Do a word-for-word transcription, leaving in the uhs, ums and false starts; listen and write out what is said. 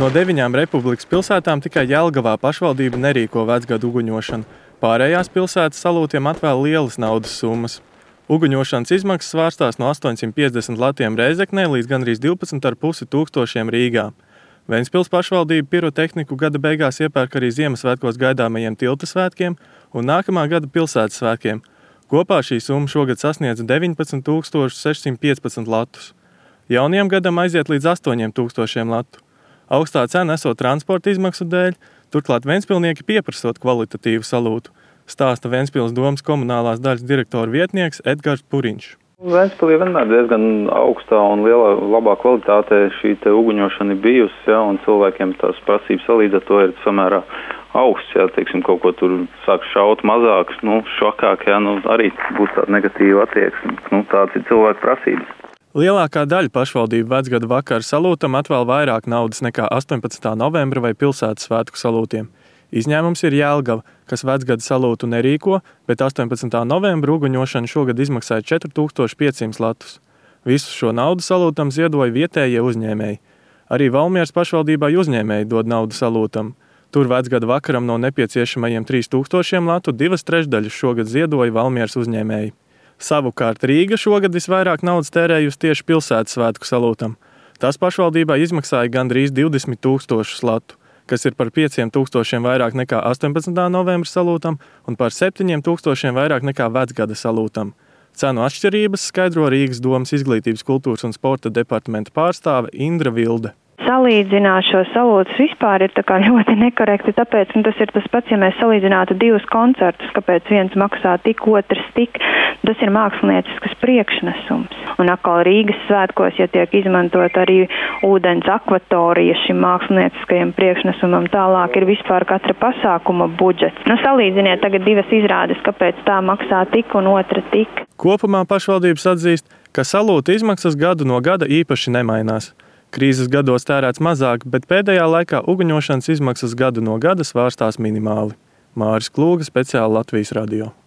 No deviņām republikas pilsētām tikai Jelgavā pašvaldība nerīko vecgadu uguņošanu. Pārējās pilsētas salūtiem atvēl lielas naudas summas. Uguņošanas izmaksas svārstās no astoņsimt piecdesmit latiem Rēzeknē līdz gandrīz divpadsmit ar pusi tūkstošiem Rīgā. Ventspils pašvaldība pirotehniku gada beigās iepērk arī Ziemassvētkos gaidāmajiem tilta svētkiem un nākamā gada pilsētas svētkiem. Kopā šī summa šogad sasniedz deviņpadsmit tūkstoši sešsimt piecpadsmit latus. Jaunajam gadam aiziet līdz astoņiem tūkstošiem latu. Augstā cena esot transporta izmaksu dēļ, turklāt ventspilnieki pieprasot kvalitatīvu salūtu, stāsta Ventspils domas komunālās daļas direktora vietnieks Edgars Puriņš. Ventspilī vienmēr diezgan augstā un lielā, labā kvalitātē šī te uguņošana ir bijusi, ja, un cilvēkiem tās prasības salīdz ar to ir samērā augsts, ja, teiksim, kaut ko tur sāk šaut mazāk, nu, šokāk, ja, nu, arī būs tāda negatīva attieksme, nu, tāds ir cilvēku prasības. Lielākā daļa pašvaldību vecgada vakara salūtam atvēl vairāk naudas nekā astoņpadsmitā novembra vai pilsētas svētku salūtiem. Izņēmums ir Jelgava, kas vecgada salūtu nerīko, bet astoņpadsmitā novembra uguņošana šogad izmaksāja četri tūkstoši piecsimt latus. Visu šo naudu salūtam ziedoja vietējie uzņēmēji. Arī Valmieras pašvaldībai uzņēmēji dod naudu salūtam. Tur vecgada vakaram no nepieciešamajiem trīs tūkstošiem latu divas trešdaļas šogad ziedoja Valmieras uzņēmēji. Savukārt Rīga šogad visvairāk naudas tērējusi tieši pilsētas svētku salūtam. Tas pašvaldībā izmaksāja gandrīz divdesmit tūkstošus latu, kas ir par pieciem tūkstošiem vairāk nekā astoņpadsmitā novembra salūtam un par septiņiem tūkstošiem vairāk nekā vecgada salūtam. Cenu atšķirības skaidro Rīgas domas izglītības, kultūras un sporta departamenta pārstāve Indra Vilde. Salīdzināt šo salūtus vispār ir tā kā ļoti nekorekti, tāpēc nu, tas ir tas pats, ja mēs salīdzinātu divus koncertus, kāpēc viens maksā tik, otrs tik, tas ir mākslinieciskas priekšnesums. Un atkal Rīgas svētkos, ja tiek izmantot arī ūdens akvatorija šim mākslinieckajam priekšnesumam, tālāk ir vispār katra pasākuma budžets. Nu, salīdziniet tagad divas izrādes, kāpēc tā maksā tik un otra tik. Kopumā pašvaldības atzīst, ka salūta izmaksas gadu no gada īpaši nemainās. Krīzes gados tērēts mazāk, bet pēdējā laikā uguņošanas izmaksas gadu no gada svārstās minimāli. Māris Klūga, speciāli Latvijas radio.